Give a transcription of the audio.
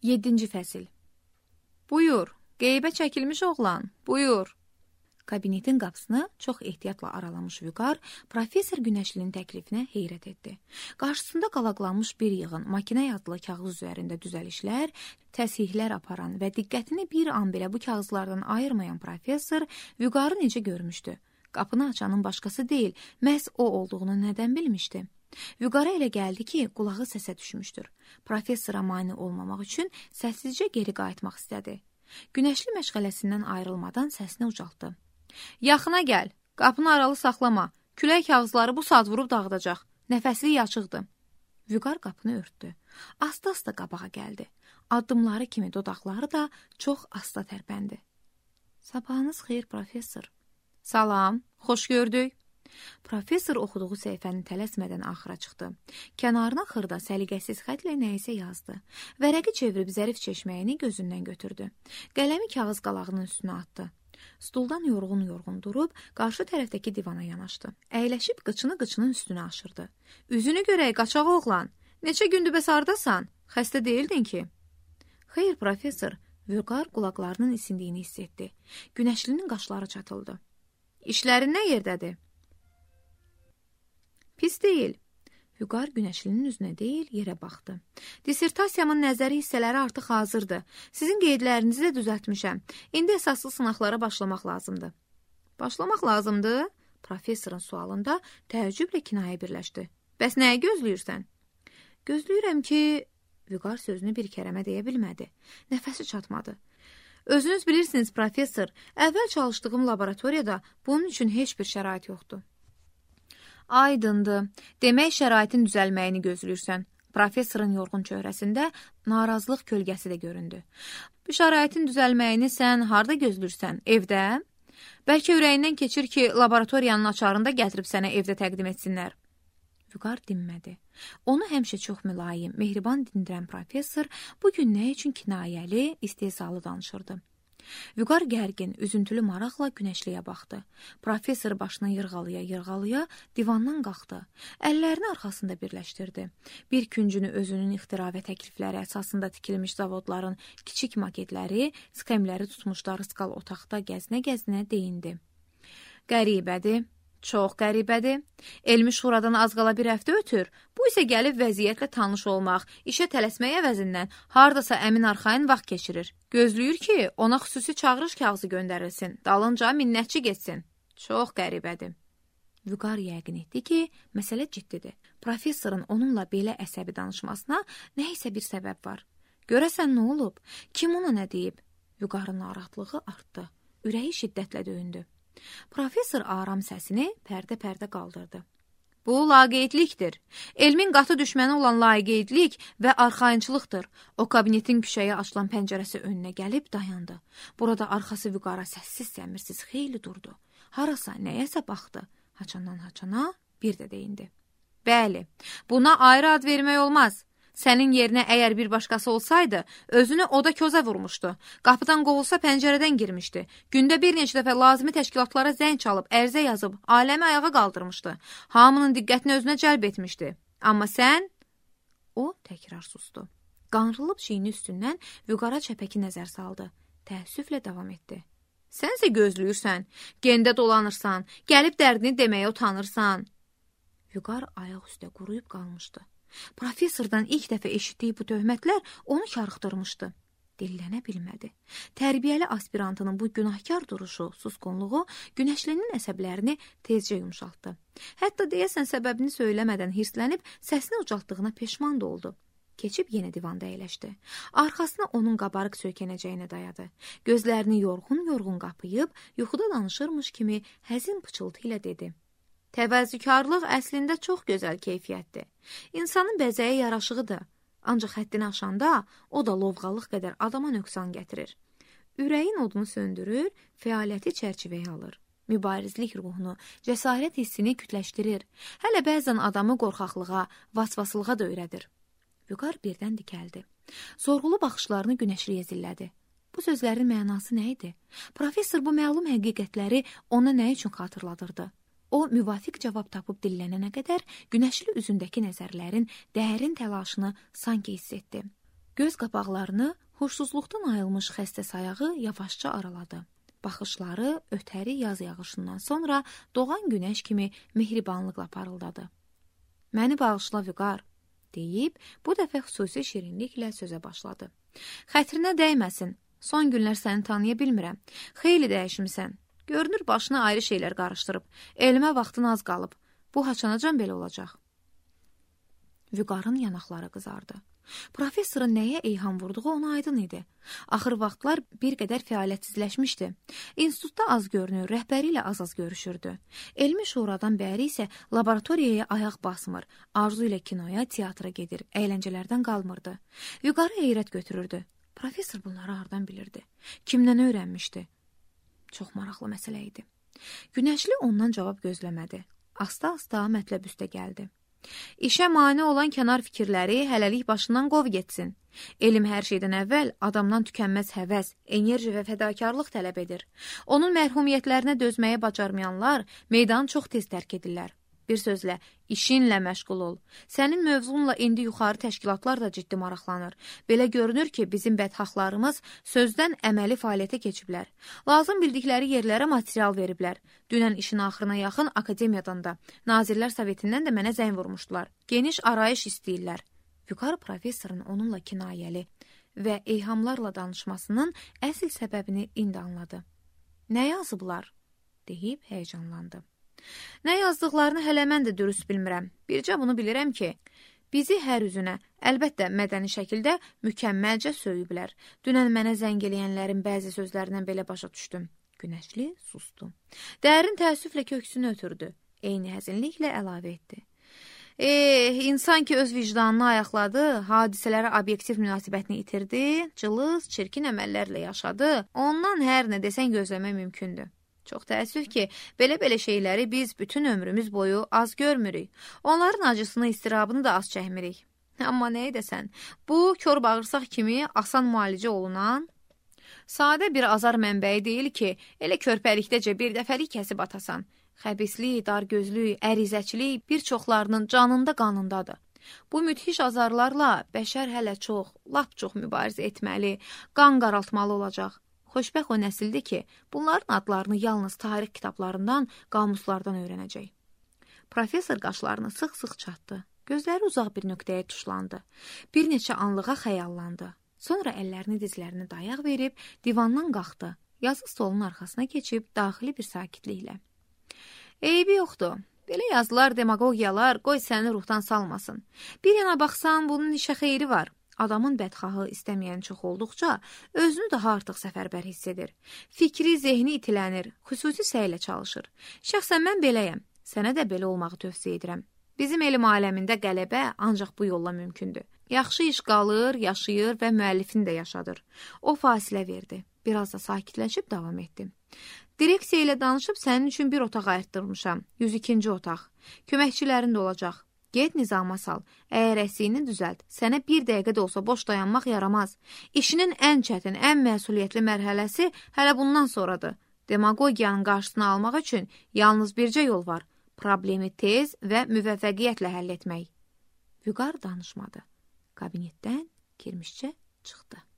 7-ci fəsil. Buyur, qeybə çəkilmiş oğlan, buyur. Kabinetin qapısını çox ehtiyatla aralamış Vüqar, professor Günəşlinin təklifinə heyrət etdi. Qarşısında qalaqlanmış bir yığın makinə adlı kağız üzərində düzəlişlər, təsihlər aparan və diqqətini bir an belə bu kağızlardan ayırmayan professor Vüqarı necə görmüşdü? Qapını açanın başqası deyil, məhz o olduğunu nədən bilmişdi? Vüqara elə gəldi ki, qulağı səsə düşmüşdür. Professora mane olmamaq üçün səssizcə geri qayıtmaq istədi. Günəşli məşğələsindən ayrılmadan səsini ucaltdı. Yaxına gəl, qapını aralı saxlama, külək kağızları bu saat vurub dağıdacaq, nəfəsliyi açıqdır. Vüqar qapını örtdü. Asta-asta qabağa gəldi. Addımları kimi dodaqları da çox asta tərpəndi. Sabahınız xeyir, professor. Salam, xoş gördük. Professor oxuduğu səhifəni tələsmədən axıra çıxdı. Kənarına xırda, səliqəsiz xətlə nəyisə yazdı. Vərəqi çevirib zərif çeşməyini gözündən götürdü. Qələmi kağız qalağının üstünə atdı. Stuldan yorğun-yorğun durub, qarşı tərəfdəki divana yanaşdı. Əyləşib qıçını üstünə aşırdı. Üzünü görək, qaçaq oğlan. Neçə gündür bəs hardasan? Xəstə deyildin ki? Xeyr, professor. Vüqar qulaqlarının isindiyini hiss etdi. Günəşlinin qaşları çatıldı. İşlərin nə yerdədir? Pis deyil. Vüqar Günəşlinin üzünə deyil, yerə baxdı. Dissertasiyamın nəzəri hissələri artıq hazırdır. Sizin qeydlərinizi də düzəltmişəm. İndi əsaslı sınaqlara başlamaq lazımdır. Başlamaq lazımdır? Professorun sualında təəccüblə kinayə birləşdi. Bəs nəyi gözləyirsən? Gözləyirəm ki... Vüqar sözünü bir kərəmə deyə bilmədi. Nəfəsi çatmadı. Özünüz bilirsiniz, professor, əvvəl çalışdığım laboratoriyada bunun üçün heç bir şərait yoxdur. Aydındır. Demək şəraitin düzəlməyini gözləyirsən. Professorun yorğun çöhrəsində narazılıq kölgəsi də göründü. Bu şəraitin düzəlməyini sən harda gözləyirsən? Evdə? Bəlkə ürəyindən keçir ki, laboratoriyanın açarını da gətirib sənə evdə təqdim etsinlər. Vüqar dinmədi. Onu həmişə çox mülayim, mehriban dindirən professor bugün nə üçün kinayəli, istehzalı danışırdı. Vüqar gərgin, üzüntülü maraqla Günəşliyə baxdı. Professor başını yırğalaya divandan qalxdı. Əllərini arxasında birləşdirdi. Bir küncünü özünün ixtira və təklifləri əsasında tikilmiş zavodların kiçik maketləri, sxemləri tutmuşları skal otaqda gəzinə-gəzinə deyindi. Qəribədir. Çox qəribədir. Elmi şuradan az qala bir həftə ötür. Bu isə gəlib vəziyyətlə tanış olmaq, işə tələsmək əvəzindən hardasa əmin arxayın vaxt keçirir. Gözləyir ki, ona xüsusi çağırış kağızı göndərilsin, dalınca minnətçi getsin. Çox qəribədir. Vüqar yəqin etdi ki, məsələ ciddidir. Professorun onunla belə əsəbi danışmasına nə isə bir səbəb var. Görəsən nə olub? Kim ona nə deyib? Vüqarın narahatlığı artdı. Ürəyi şiddətlə döyündü. Professor aram səsini pərdə-pərdə qaldırdı. Bu laqeydlikdir. Elmin qatı düşməni olan laqeydlik və arxayınçılıqdır. O kabinetin küçəyə açılan pəncərəsi önünə gəlib dayandı. Burada arxası Vüqara səssiz-səmirsiz xeyli durdu. Harasa, nəyəsə baxdı. Haçandan-haçana bir də deyindi. Bəli, buna ayrı ad vermək olmaz. Sənin yerinə əgər bir başqası olsaydı, özünü oda közə vurmuşdu. Qapıdan qovulsa pəncərədən girmişdi. Gündə bir neçə dəfə lazımi təşkilatlara zəng çalıb, ərizə yazıb, aləmi ayağa qaldırmışdı. Hamının diqqətini özünə cəlb etmişdi. Amma sən... O təkrar sustu. Qanrılıb çiyini üstündən Vüqara çəpəki nəzər saldı. Təəssüflə davam etdi. Sənsə gözləyirsən, gendə dolanırsan, gəlib dərdini deməyə utanırsan. Vüqar ayaq üstə quruyub qalmışdı. Professordan ilk dəfə eşitdiyi bu töhmətlər onu karıxdırmışdı. Dillənə bilmədi. Tərbiyəli aspirantının bu günahkar duruşu, susqunluğu Günəşlinin əsəblərini tezcə yumşaltdı. Hətta deyəsən səbəbini söyləmədən hirslənib səsini ucaltdığına peşman da oldu. Keçib yenə divanda əyləşdi. Arxasına onun qabarıq söykənəcəyinə dayadı. Gözlərini yorğun-yorğun qapıyıb, yuxuda danışırmış kimi həzin pıçıltı ilə dedi. Təvəzzükarlıq əslində çox gözəl keyfiyyətdir. İnsanın bəzəyə yaraşığıdır. Ancaq həddini aşanda o da lovğalıq qədər adama nöqsan gətirir. Ürəyin odunu söndürür, fəaliyyəti çərçivəyə alır. Mübarizlik ruhunu, cəsarət hissini kütləşdirir. Hələ bəzən adamı qorxaqlığa, vasvasılığa da öyrədir. Vüqar birdən dikəldi. Sorğulu baxışlarını Günəşliyə zillədi. Bu sözlərin mənası nə idi? Professor bu məlum həqiqətləri ona nə üçün xatırladırdı? O, müvafiq cavab tapıb dillənənə qədər Günəşli üzündəki nəzərlərin dərin təlaşını sanki hiss etdi. Göz qapaqlarını huşsuzluqdan ayılmış xəstə sayağı yavaşca araladı. Baxışları ötəri yaz yağışından sonra doğan günəş kimi mehribanlıqla parıldadı. Məni bağışla Vüqar, deyib bu dəfə xüsusi şirinliklə sözə başladı. Xətrinə dəyməsin, son günlər səni tanıya bilmirəm, xeyli dəyişmisən. Görünür başına ayrı şeylər qarışdırıb, elmə vaxtın az qalıb, bu haçanacan belə olacaq. Vüqarın yanaqları qızardı. Professorun nəyə eyham vurduğu ona aydın idi. Axır vaxtlar bir qədər fəaliyyətsizləşmişdi. İnstitutda az görünür, rəhbəri ilə az-az görüşürdü. Elmi şuradan bəri isə laboratoriyaya ayaq basmır, arzu ilə kinoya, teatra gedir, əyləncələrdən qalmırdı. Vüqarı heyrət götürürdü. Professor bunları hardan bilirdi? Kimdən öyrənmişdi? Çox maraqlı məsələ idi. Günəşli ondan cavab gözləmədi. Asta-asta mətləb üstə gəldi. İşə mane olan kənar fikirləri hələlik başından qov getsin. Elm hər şeydən əvvəl adamdan tükənməz həvəs, enerji və fədakarlıq tələb edir. Onun mərhumiyyətlərinə dözməyə bacarmayanlar meydanı çox tez tərk edirlər. Bir sözlə, işinlə məşğul ol. Sənin mövzunla indi yuxarı təşkilatlar da ciddi maraqlanır. Belə görünür ki, bizim bədxahlarımız sözdən əməli fəaliyyətə keçiblər. Lazım bildikləri yerlərə material veriblər. Dünən işin axırına yaxın akademiyadan da, Nazirlər Sovetindən də mənə zəng vurmuşdular. Geniş arayış istəyirlər. Vüqar professorun onunla kinayəli və eyhamlarla danışmasının əsl səbəbini indi anladı. Nə yazıblar? Deyib həyəcanlandı. Nə yazdıqlarını hələ mən də dürüst bilmirəm. Bircə bunu bilirəm ki, bizi hər üzünə, əlbəttə mədəni şəkildə mükəmməlcə söyüblər. Dünən mənə zəng eləyənlərin bəzi sözlərindən belə başa düşdüm. Günəşli sustu. Dərin təəssüflə köksünü ötürdü. Eyni həzinliklə əlavə etdi. İnsan ki öz vicdanını ayaqladı, hadisələrə obyektiv münasibətini itirdi, cılız, çirkin əməllərlə yaşadı, ondan hər nə desən gözləmək mümkündür. Çox təəssüf ki, belə şeyləri biz bütün ömrümüz boyu az görmürük. Onların acısını, istirabını da az çəkmirik. Amma nə edəsən, bu kör bağırsaq kimi asan müalicə olunan, sadə bir azar mənbəyi deyil ki, elə körpəlikdəcə bir dəfəlik kəsib atasan. Xəbislik, dargözlük, ərizəçilik bir çoxlarının canında qanındadır. Bu müthiş azarlarla bəşər hələ çox, lap çox mübarizə etməli, qan qaraltmalı olacaq. Xoşbəxt o nəsildir ki, bunların adlarını yalnız tarix kitablarından, qamuslardan öyrənəcək. Professor qaşlarını sıx-sıx çatdı. Gözləri uzaq bir nöqtəyə tuşlandı. Bir neçə anlığa xəyallandı. Sonra əllərini dizlərini dayaq verib, divandan qalxdı. Yazı stolunun arxasına keçib, daxili bir sakitliklə. Eybi yoxdur. Belə yazılar, demagogiyalar qoy səni ruhdan salmasın. Bir yana baxsan, bunun işə xeyri var. Adamın bədxahı istəməyən çox olduqca, özünü daha artıq səfərbər hiss edir. Fikri, zehni itilənir, xüsusi səylə çalışır. Şəxsən mən beləyəm, sənə də belə olmağı tövsiyə edirəm. Bizim elm aləmində qələbə ancaq bu yolla mümkündür. Yaxşı iş qalır, yaşayır və müəllifini də yaşadır. O fasilə verdi. Biraz da sakitləşib davam etdi. Direksiya ilə danışıb sənin üçün bir otaq ayırtdırmışam. 102-ci otaq. Köməkçilərin də olacaq. Get nizama sal, əgər əksiyini düzəlt, sənə bir dəqiqə də olsa boş dayanmaq yaramaz. İşinin ən çətin, ən məsuliyyətli mərhələsi hələ bundan sonradır. Demagogiyanın qarşısını almaq üçün yalnız bircə yol var, problemi tez və müvəffəqiyyətlə həll etmək. Vüqar danışmadı. Kabinetdən kirmişcə çıxdı.